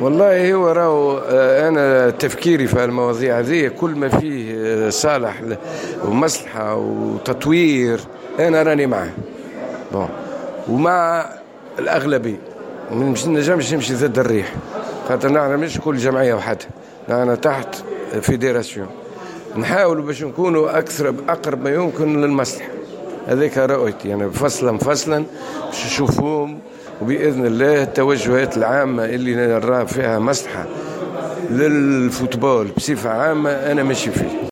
والله هو راهو انا تفكيري في المواضيع هذه، كل ما فيه صالح ومصلحه وتطوير انا راني معاه. bon، ومع الاغلبيه، ما نجمش نمشي ضد الريح، خاطر نحن مش كل جمعية وحدها، نحن تحت fédération، نحاولوا باش نكونوا اكثر اقرب ما يمكن للمصلحه. هذيك رؤيتي يعني، فصلا فصلا باش نشوفوهم، وباذن الله التوجهات العامة اللي نرى فيها مصلحة لل football بصفة عامة انا ماشي فيه.